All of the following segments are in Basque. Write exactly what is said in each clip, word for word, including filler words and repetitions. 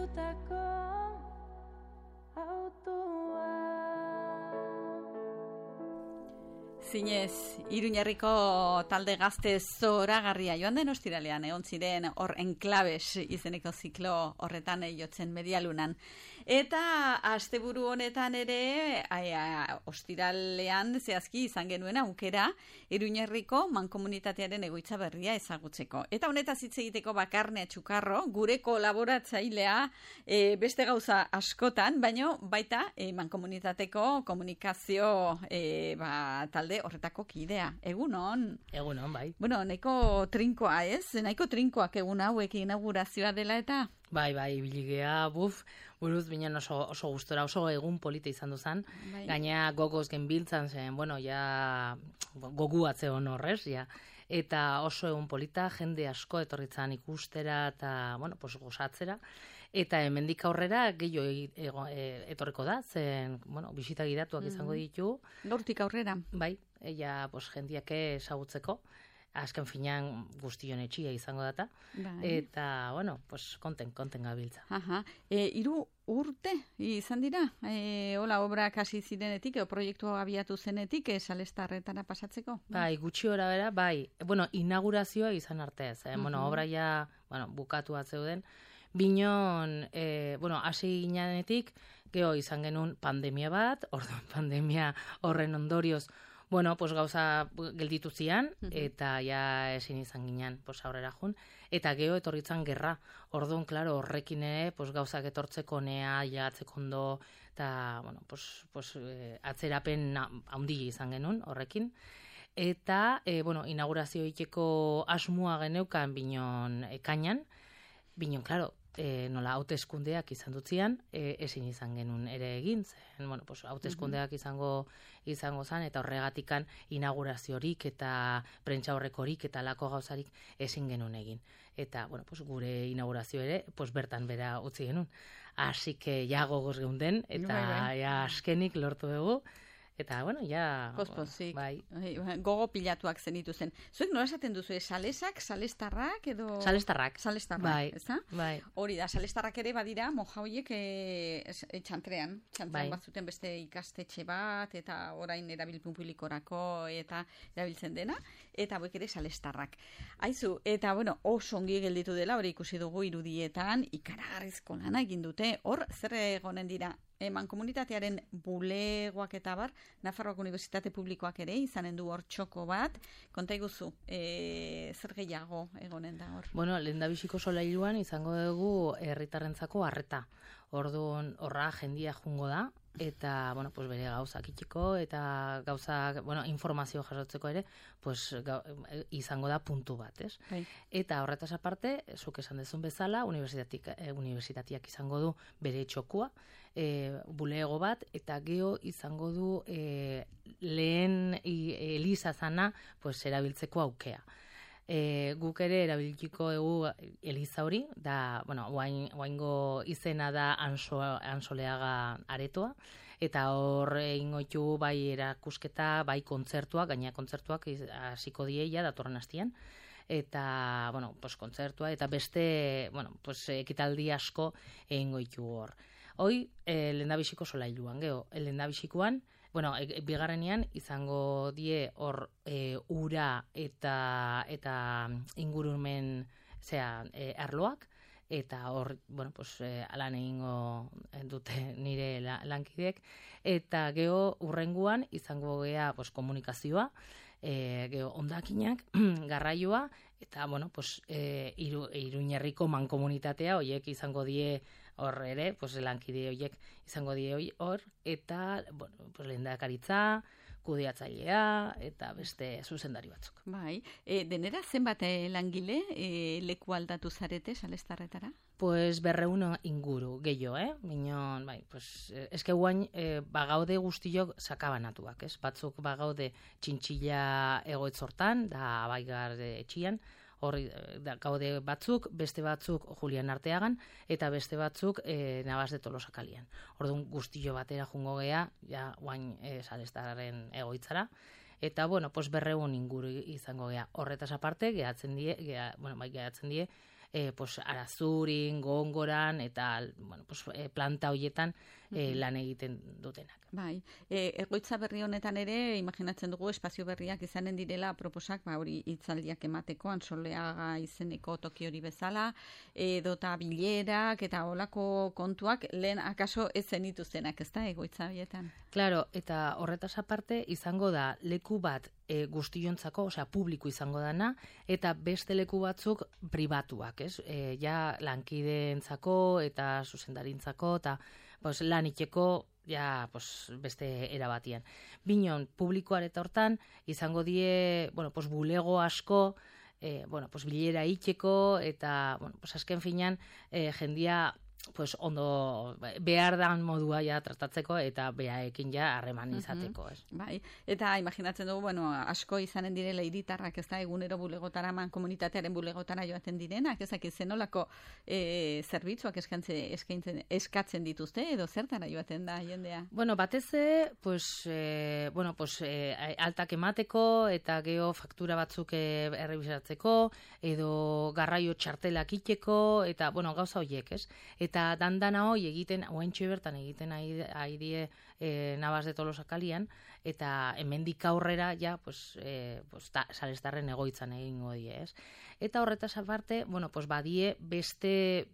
piztutako autoa. Zinez, Iruñerriko talde gazte zoragarria joan den ostiralean egon ziren hor enklabes izeneko ziklo horretan jotzen Medialunan. Eta asteburu honetan ere aia, ostiralean zehazki izan genuen aukera Iruñerriko mankomunitatearen egoitza berria ezagutzeko. Eta honetaz hitz egiteko Bakarne Txukarro, gure kolaboratzailea e, beste gauza askotan, baino baita e, mankomunitateko komunikazio e, ba, talde horretako kidea. Egunon? Egunon, bai. Bueno, nahiko trinkoa, ez? Nahiko trinkoak egun hauek inaugurazioa dela eta... Bai, bai, biligea, buf, buruz binen oso, oso gustora, oso egun polita izan duzan. Bai. Gaina gogoz genbiltzan zen, bueno, ja gogu atze hon horrez, ja. Eta oso egun polita, jende asko etorritzan ikustera eta, bueno, pues gozatzera. Eta hemendik aurrera gehiago etorriko da, zen, bueno, bisita gidatuak izango ditu. Gaurtik aurrera. Bai, ella, pues, jendiak ezagutzeko. Azken finean guztion etxia izango data. Bai. Eta, bueno, pues, konten, konten gabiltza. Aha. E, iru urte izan dira? E, hola, obrak hasi zirenetik, o proiektua abiatu zenetik, e, Salestarretara pasatzeko? Bai, gutxi ora bera, bai. Bueno, inaugurazioa izan artez. Eh? Uh-huh. Bueno, obra ja, bueno, bukatu atzeuden. Binon, e, bueno, hasi ginenetik, geho izan genuen pandemia bat, orduan pandemia horren ondorioz, bueno, pues gauza gelditu zian, uh-huh. eta ja ezin izan ginen, pues aurrera jun, eta geho etorritzan gerra. Orduan, klaro, horrekin ere, pues gauzak etortzeko nea, jatzeko ondo, eta, bueno, pues, pues eh, atzerapen handi izan genuen horrekin. Eta, eh, bueno, inaugurazio ikeko asmua geneukan binon ekainan, binon, klaro, E, nola hauteskundeak izan dutzian, e, ezin izan genuen ere egin, zen, bueno, pues, hauteskundeak izango izango zen, eta horregatikan inauguraziorik eta prentsa horrekorik eta lako gauzarik ezin genuen egin. Eta, bueno, pues, gure inaugurazio ere, pues, bertan bera utzi genuen. Así que ja gogoz geunden, eta ja askenik lortu dugu. Eta, bueno, ja... Pospozik. Bai. Gogo pilatuak zenitu zen. Zuek nola esaten duzu, salesak, salestarrak edo... Salestarrak. Salestarrak, bai. ezta? Bai. Hori da, salestarrak ere badira, moja horiek e, e, txantrean. Txantrean bai. Batzuten beste ikastetxe bat, eta orain erabilpun publikorako eta erabiltzen dena, eta hauek ere salestarrak. Aizu, eta, bueno, oso ongi gelditu dela, hori ikusi dugu irudietan, ikaragarrizko lana egin dute, hor, zer egonen dira? Eman komunitatearen bulegoak eta bar, Nafarroako Unibertsitate Publikoak ere izanen du hor txoko bat. Konta iguzu, e, zer gehiago egonen da hor? Bueno, lehendabiziko solailuan izango dugu herritarrentzako harreta. Orduan horra jendia jungo da, eta, bueno, pues bere gauzak itxiko, eta gauzak, bueno, informazio jasotzeko ere, pues ga, izango da puntu bat, ez? Bai. Eta horretaz aparte, zuk esan dezun bezala, universitatik, eh, universitatiak izango du bere txokua, eh, bulego bat, eta geho izango du eh, lehen eliza zana, pues erabiltzeko aukea. E, guk ere erabiliko egu eliza hori, da, bueno, oaingo izena da Anso, Ansoleaga aretoa, eta hor egingo ditu bai erakusketa, bai kontzertuak, gaina kontzertuak hasiko dieia datorren hastian, eta, bueno, pues kontzertua, eta beste, bueno, pues ekitaldi asko egingo ditu hor. Hoi, eh, lehendabiziko solailuan, geho, lehendabizikoan, bueno, e, bigarrenean izango die hor e, ura eta eta ingurumen, zera, e, arloak, eta hor, bueno, pues, e, alan egingo dute nire la, lankidek, eta geho urrenguan izango gea pues, komunikazioa, e, geho ondakinak, garraioa, eta, bueno, pues, e, iru, Iruñerriko mankomunitatea, horiek izango die hor ere, pues, lankide horiek izango die hor, eta, bueno, pues, lehendakaritza, kudeatzailea, eta beste zuzendari batzuk. Bai, e, denera zenbat langile e, leku aldatu zarete Salestarretara? Pues berreun inguru, gehiago, eh? Minon, bai, pues, eske guain, e, bagaude guztiok sakabanatuak, ez? Batzuk bagaude txintxilla egoitzortan, da baigar etxian, horri da, gaude batzuk, beste batzuk Julian Arteagan, eta beste batzuk e, Navas de Tolosakalian. Orduan guztio batera jungo gea, ja, guain e, Salestarren egoitzara, eta, bueno, pues berreun inguru izango gea. Horretaz aparte, gehatzen die, gea, bueno, bai, gehatzen die, e, pues, arazurin, gongoran, eta bueno, pues, e, planta hoietan e, lan egiten dutenak. Bai, e, egoitza berri honetan ere, imaginatzen dugu espazio berriak izanen direla proposak, ba hori hitzaldiak emateko, Antsoleaga izeneko toki hori bezala, edota bilerak eta olako kontuak lehen akaso ez zenituztenak, ez da, egoitza horietan? Claro, eta horretaz aparte izango da leku bat e, guztiontzako, osea, publiko izango dana, eta beste leku batzuk pribatuak, ez? E, ja lankideentzako eta zuzendarintzako, eta pues, lan itxeko, ja, pues, beste erabatian. Binon, publikoa eta hortan, izango die, bueno, pues, bulego asko, eh, bueno, pues, bilera itxeko, eta, bueno, pues, azken finan, eh, jendia, pues, ondo behar dan modua ja tratatzeko eta behaekin ja harreman izateko, ez? Bai, eta imaginatzen dugu, bueno, asko izanen direla hiritarrak, ez da, egunero bulegotara, man komunitatearen bulegotara joaten direnak, ezak zenolako e, zerbitzuak eskaintzen, eskatzen dituzte, edo zertara joaten da jendea? Bueno, bateze, pues, eh, bueno, pues, eh, altak emateko, eta geho faktura batzuk eh, errebisatzeko, edo garraio txartelak itxeko, eta, bueno, gauza horiek, ez? Eta dandana hoi egiten, oaintxo bertan egiten ari die e, Navas de Tolosa kalian, eta hemendik aurrera ja, pues, e, pues, ta, salestarren egoitzan egingo die, ez? Eta horretaz aparte, bueno, pues, badie beste,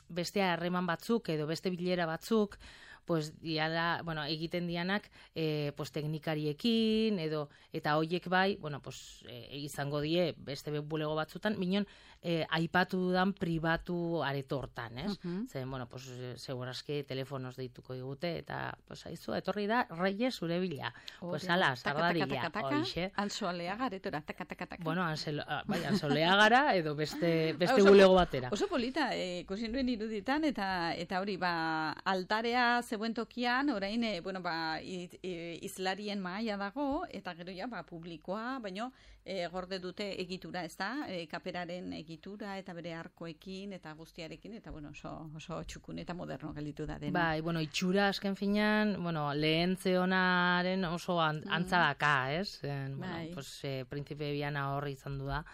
beste harreman batzuk edo beste bilera batzuk, pues, diala, bueno, egiten dianak e, pues, teknikariekin edo eta hoiek bai, bueno, pues, e, izango die beste bulego batzutan, minon e, aipatu dudan pribatu aretortan, ez? Uh -huh. Zen, bueno, pues, segurazki telefonos deituko digute, eta, pues, aizu, etorri da, Reyes zure bila. Pues, ala, sardaria, hoixe. Antsoleaga aretora, taka, taka, taka. Bueno, anselo, bai, Antsoleagara edo beste, beste bulego batera. Oso polita, ikusi nuen iruditan, eta eta hori, ba, altarea zegoen tokian, orain, e, bueno, ba, iz, e, izlarien mahaia dago, eta gero ja, ba, publikoa, baino, e, gorde dute egitura, ez da, e, kaperaren egitura, eta bere arkoekin, eta guztiarekin, eta, bueno, oso, oso txukun eta moderno gelditu da dena. Bai, bueno, itxura asken finan, bueno, lehen zeonaren oso an, antzadaka, ez? En, bueno, bai. Pues, e, Prinzipe Biana horri izan du da,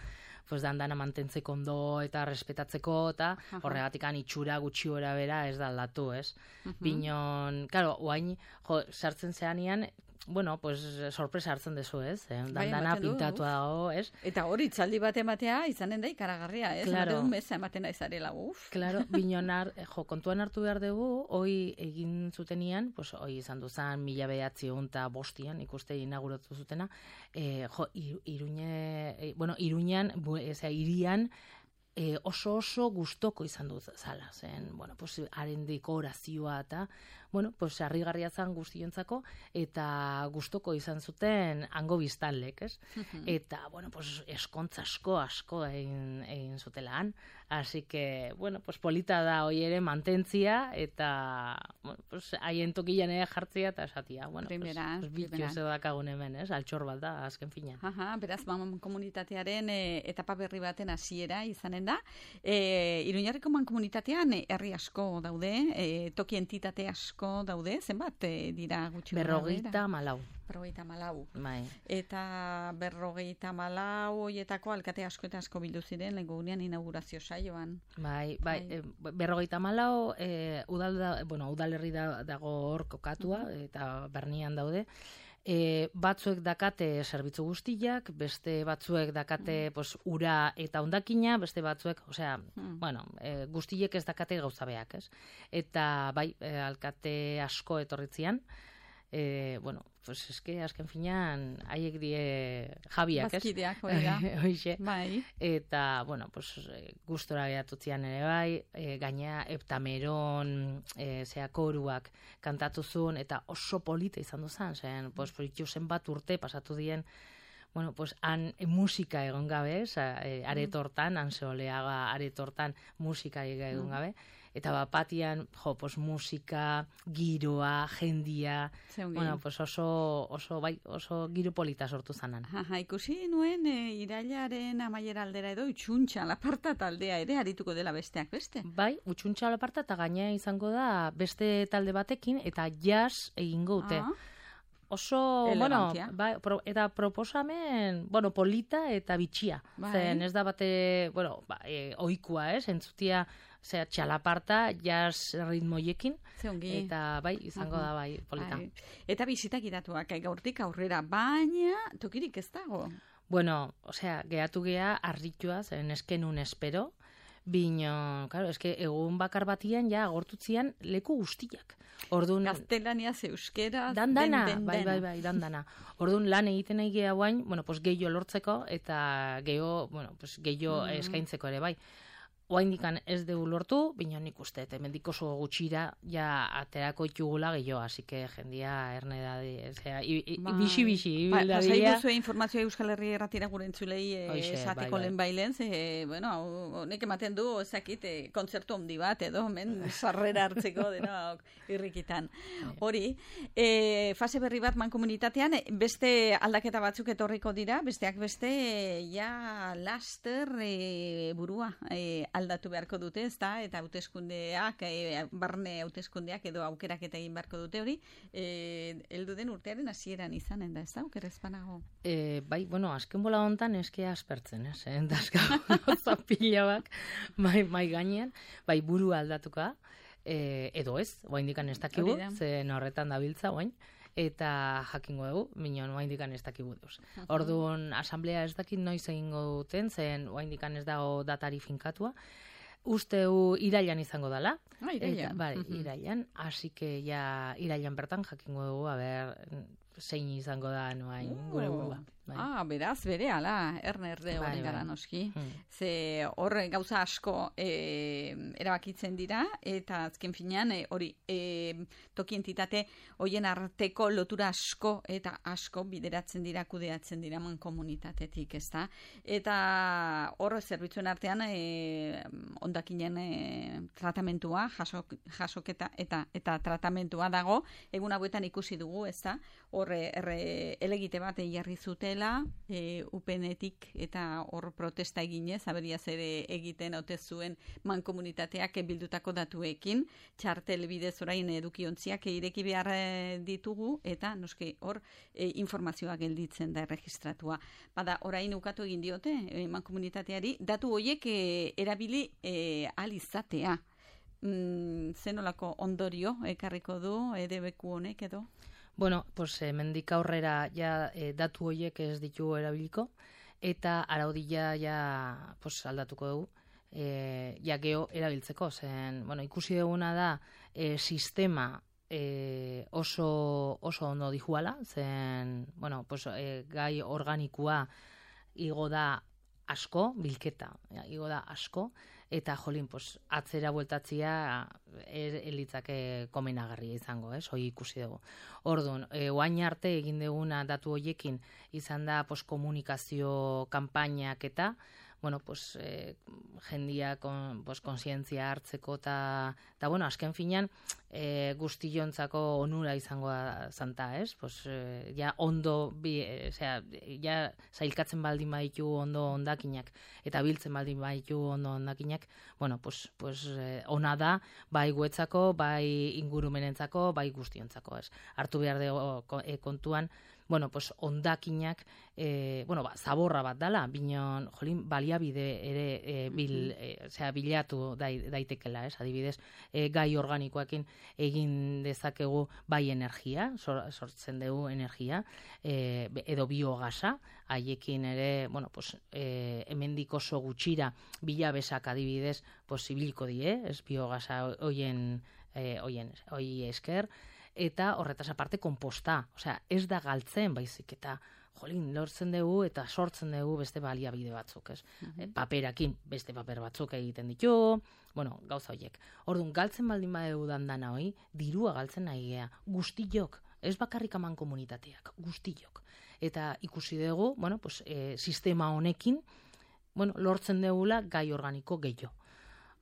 pues dandana mantentzeko ondo eta respetatzeko, eta horregatikan itxura gutxi gora bera ez da aldatu, ez? Uh -huh. Binon, claro, oain, jo, sartzen zeanian, bueno, pues sorpresa hartzen dezu, ez? Eh? Dandana bai, pintatua dago, ez? Eta hori, itzaldi bat ematea izanen da ikaragarria, ez? Claro. Ematen meza ematen aizarela, uf. Claro, binonar, jo, kontuan hartu behar dugu, hoi egin zutenian, pues hoi izan duzan mila behatzi eta bostian, ikuste inauguratu zutena, eh, jo, Iruñe, eh, bueno, Iruñan, eza, irian, E, oso oso gustoko izan du zala, zen, bueno, pues, haren dekorazioa eta, bueno, pues, harrigarria zan guztiontzako, eta gustoko izan zuten hango biztanlek, ez? Eta, bueno, pues, eskontza asko, asko egin, egin zutelaan, así que, bueno, pues, polita da hoi ere mantentzia, eta, bueno, pues, haien tokian ere jartzia, eta esatia, bueno, primera, pues, bitxo ez dakagun hemen, ez? Altxor bat da, azken fina. Aha, beraz, man komunitatearen e, etapa berri baten hasiera izanen da. E, Iruñarriko mankomunitatean herri asko daude, e, toki entitate asko daude, zenbat e, dira gutxi? Berrogeita malau. Berrogeita malau. Bai. Eta berrogeita malau hoietako alkate asko eta asko bildu ziren lehengo gunean inaugurazio saioan. Bai, bai, bai. E, berrogeita malau, e, udal da, bueno, udalerri da, dago hor kokatua, uh-huh. eta Bernian daude. E, batzuek dakate zerbitzu guztiak, beste batzuek dakate mm. pues, ura eta hondakina, beste batzuek, osea, mm. bueno, e, guztiek ez dakate gauza beak, ez? Eta bai, e, alkate asko etorritzian, e, bueno, pues eske azken finan haiek die jabiak, ez? Bazkideak, hori da. Hoixe. Bai. Eta, bueno, pues gustora gehatutzian ere bai, e, gaina Eptameron e, zea koruak kantatu zuen, eta oso polita izan duzan, zen, pues, zen bat urte pasatu dien, bueno, pues, han e, musika egon gabe, e, aretortan, Antsoleaga aretortan musika egon gabe, eta bapatian, jo, pues, musika, giroa, jendia, bueno, pues oso, oso, bai, oso giro polita sortu zanan. Aha, ikusi nuen e, irailaren amaiera aldera edo utxuntxa laparta taldea ere arituko dela besteak beste. Bai, utxuntxa laparta eta gainea izango da beste talde batekin eta jazz egingo dute. oso, Elegantia. bueno, bai, pro, eta proposamen, bueno, polita eta bitxia. Bai. Zen ez da bate, bueno, ba, e, oikua, ez, entzutia, zera, txalaparta, jazz ritmoiekin, Ze ongi. eta bai, izango Aha. da bai, polita. Bai. Eta bisitak idatuak, eh, gaurtik aurrera, baina tokirik ez dago. Bueno, osea, gehatu gea harritua, zen eskenun espero, bino, claro, eske egun bakar batian ja agortutzian leku guztiak. Ordun Gaztelaniaz, euskera, dandana, den, den, bai, bai, dena. bai, dandana. Ordun lan egiten nahi gea guain, bueno, pues gehiago lortzeko eta gehiago, bueno, pues gehiago Mhm. eskaintzeko ere bai. Oaindikan ez dugu lortu, bino nik uste, eta hemendik oso gutxira ja aterako itugula gehiago, así que jendia erne da, osea, Bai. bixi-bixi, Ba, ibilda pasai dira. duzue informazioa Euskal Herri erratira gure entzulei eh, Hoxe, esateko bai, bai. lehen bailen, ze, bueno, hau- honek ematen du, ezakit, eh, kontzertu handi bat, edo, men, sarrera hartzeko, dena irrikitan. Hori, eh, fase berri bat mankomunitatean, eh, beste aldaketa batzuk etorriko dira, besteak beste, eh, ja laster eh, burua eh, aldatu beharko dute, ezta, eta hauteskundeak, eh, barne hauteskundeak edo aukerak eta egin beharko dute hori, eh, heldu den urtearen hasieran izanen da, ezta, aukera espanago. E, bai, bueno, azken bola hontan eske aspertzen, ez? Eh? Dazka zapila bak, mai, mai gainean, bai buru aldatuka, e, edo ez, oaindikan ez dakigu, Hori da. zen horretan dabiltza oain, eta jakingo dugu, minon oaindikan ez dakigu deuz. Orduan, asamblea ez dakit noiz egingo duten, zen oaindikan ez dago datari finkatua, usteu irailan izango dela. Ah, irailan. Eta, bai, Mhm. irailan, así que ja irailan bertan jakingo dugu, a ber, zein izango da noain gure burua. Bai. Ah, beraz, bere, ala, erne erde Bai, horren gara bai. noski. Hmm. Ze hor gauza asko e, erabakitzen dira, eta azken finean e, hori e, toki entitate hoien arteko lotura asko eta asko bideratzen dira, kudeatzen dira man komunitatetik, ezta? Eta hor zerbitzuen artean e, ondakinen e, tratamentua, jasok, jasoketa eta eta tratamentua dago, egun hauetan ikusi dugu, ezta? Hor erre elegite bat jarri zutela, e, upenetik eta hor protesta eginez, aberiaz ere egiten ote zuen mankomunitateak bildutako datuekin, txartel bidez orain edukiontziak ireki behar eh, ditugu, eta noski hor e, informazioa gelditzen da erregistratua. Bada, orain ukatu egin diote e, mankomunitateari, datu horiek e, erabili e, ahal izatea. Mm, zenolako ondorio ekarriko du edebeku honek edo? Bueno, pues hemendik aurrera ja e, datu horiek ez ditugu erabiliko eta araudia ja pues aldatuko dugu. E, ja geo erabiltzeko, zen, bueno, ikusi duguna da e, sistema e, oso oso ondo dijuala, zen, bueno, pues e, gai organikoa igo da asko, bilketa, ja, igo da asko, eta jolin, pues, atzera bueltatzia elitzake komenagarria izango, ez, hoi ikusi dugu. Orduan, e, oain arte egin duguna datu hoiekin izan da pues, komunikazio kanpainak eta, bueno, pues, eh, jendia kon, pues, konsientzia hartzeko eta, eta bueno, azken finean eh, guztiontzako onura izango da zanta, ez? Pues, eh, ja ondo, bi, eh, osea, ja zailkatzen baldin baditu ondo ondakinak eta biltzen baldin baditu ondo ondakinak, bueno, pues, pues, eh, ona da, bai guetzako, bai ingurumenentzako, bai guztiontzako, ez? Hartu behar dugu eh, kontuan, bueno, pues ondakinak, eh, bueno, ba, zaborra bat dala, binon, jolin, baliabide ere eh, bil, eh, osea, bilatu dai, daitekela, ez? Adibidez, eh, gai organikoekin egin dezakegu bai energia, sor, sortzen dugu energia, eh, edo biogasa, haiekin ere, bueno, pues, eh, hemendik oso gutxira bilabesak adibidez, pues, ibiliko die, ez? Biogasa hoien, eh, hoien, hoi esker, eta horretaz aparte konposta, osea, ez da galtzen baizik eta jolin, lortzen dugu eta sortzen dugu beste baliabide batzuk, ez? Mhm. E, paperakin beste paper batzuk egiten ditu, bueno, gauza horiek. Orduan, galtzen baldin badegu dandana hoi, dirua galtzen nahi gea, guztiok, ez bakarrik aman komunitateak, guztiok. Eta ikusi dugu, bueno, pues, e, sistema honekin, bueno, lortzen dugula gai organiko gehiago.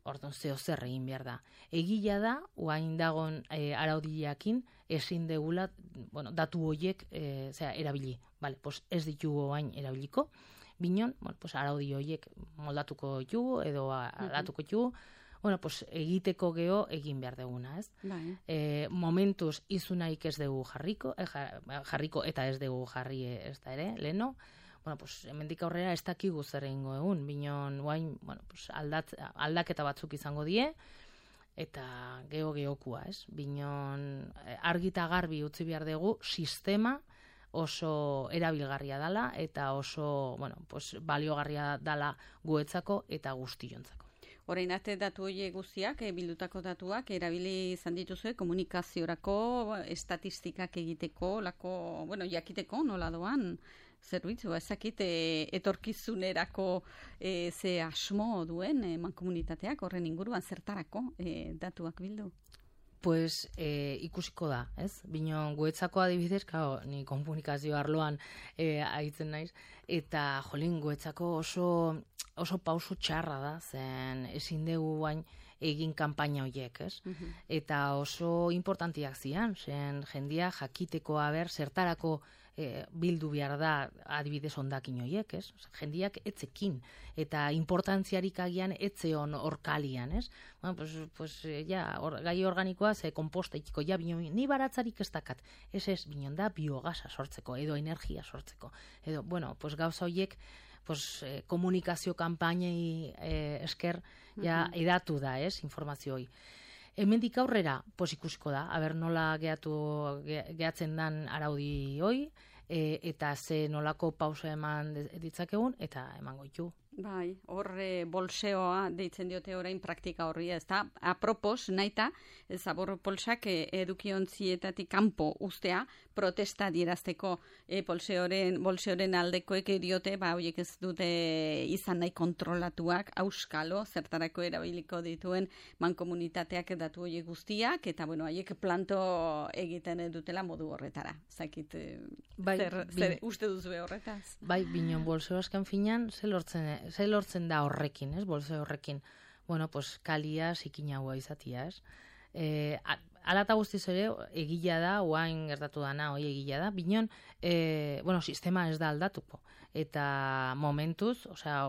Orduan, zeo zer egin behar da. Egia da, oain dagon e, araudiakin, ezin degula, bueno, datu horiek e, zera, erabili. Vale, pues ez ditugu oain erabiliko. Binon, bueno, pues araudi horiek moldatuko ditugu, edo aldatuko ditugu. bueno, pues egiteko geho egin behar deguna, ez? Bai. E, momentuz izunaik ez dugu jarriko, eh, jarriko eta ez dugu jarri ez da ere, leno, bueno, pues, hemendik aurrera ez dakigu zer egingo egun, binon, guain, bueno, pues, aldat, aldaketa batzuk izango die, eta geho gehokua, ez? Binon, argita garbi utzi behar dugu, sistema oso erabilgarria dala, eta oso, bueno, pues, baliogarria dala guetzako eta guztiontzako. Orain arte datu horiek guztiak, e, bildutako datuak, erabili izan dituzue komunikaziorako, estatistikak egiteko, lako, bueno, jakiteko nola doan, zerbitzu, ezakit, e, etorkizunerako e, ze asmo duen e, mankomunitateak, horren inguruan zertarako e, datuak bildu? Pues e, ikusiko da, ez? Bino, guetzako adibidez, kao, ni komunikazio arloan e, aitzen naiz, eta jolin, guetzako oso, oso pauso txarra da, zen ezin dugu bain egin kanpaina horiek, ez? Uh-huh. Eta oso importantiak zian, zen jendia jakiteko haber zertarako e, bildu behar da adibidez ondakin horiek, ez? Jendiak etzekin, eta importantziarik agian etzeon orkalian, ez? Bueno, pues, pues, ja, or, gai organikoa ze komposta ikiko, ja, bino, ni baratzarik ez dakat, ez ez, binon da biogasa sortzeko, edo energia sortzeko, edo, bueno, pues gauza horiek, pues, eh, komunikazio kanpainei eh, esker, ja, uh-huh. edatu da, ez, informazio hori. Hemendik aurrera, pues, ikusiko da, aber nola geatu, ge, gehatzen dan araudi hoi, e, eta ze nolako pausa eman ditzakegun, eta emango ditu. Bai, horre bolseoa deitzen diote orain praktika horri, ez da, apropos, naita, zabor polsak edukiontzietatik kanpo ustea, protesta dierazteko e, bolseoren, bolseoren aldekoek diote, ba, horiek ez dute izan nahi kontrolatuak, auskalo, zertarako erabiliko dituen mankomunitateak datu horiek guztiak, eta, bueno, haiek planto egiten dutela modu horretara. Zakit, bai, zer, zer uste duzu horretaz? Bai, binon bolseo askan finan, ze lortzen ze lortzen da horrekin, ez, bolse horrekin, bueno, pues, kalia zikinagoa izatia, ez. E, alata guztiz ere, egila da, oain gertatu dana, hoi egila da, binon, e, bueno, sistema ez da aldatuko. Eta momentuz, osea,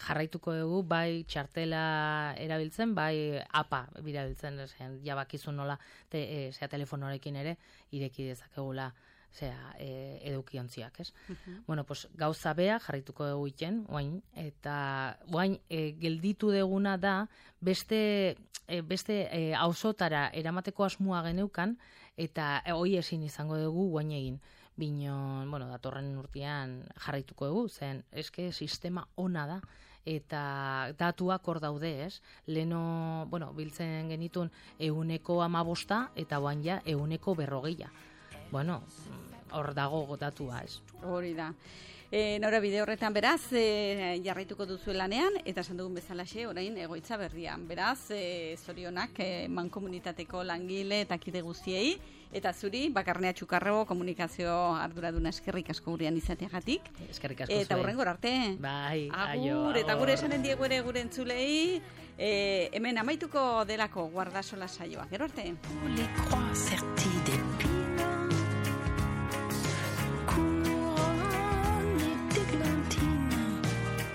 jarraituko dugu, bai txartela erabiltzen, bai apa birabiltzen, zen, jabakizun nola, te, e, zea telefonorekin ere, ireki dezakegula, zera, e, edukiontziak, ez? Uh-huh. Bueno, pues, gauza bea jarrituko dugu iten, oain, eta oain, e, gelditu deguna da, beste, e, beste e, auzotara eramateko asmoa geneukan, eta e, hoi ezin izango dugu oain egin. Binon, bueno, datorren urtean jarraituko dugu, zen, eske sistema ona da, eta datuak hor daude, ez? Leno, bueno, biltzen genitun euneko amabosta, eta oain ja euneko berrogeia. Bueno, hor dago datua, ez? Hori da. E, nora bide horretan beraz, e, jarraituko duzu lanean, eta esan dugun bezalaxe, orain egoitza berrian. Beraz, e, zorionak e, mankomunitateko langile eta kide guztiei, eta zuri, Bakarnea Txukarro komunikazio arduraduna eskerrik asko gurean izateagatik. Eskerrik asko zuen. Eta hurrengor arte. Bai, aio. Agur, eta gure esanen diegu ere gure entzulei, e, hemen amaituko delako guardasola saioa. Gero arte.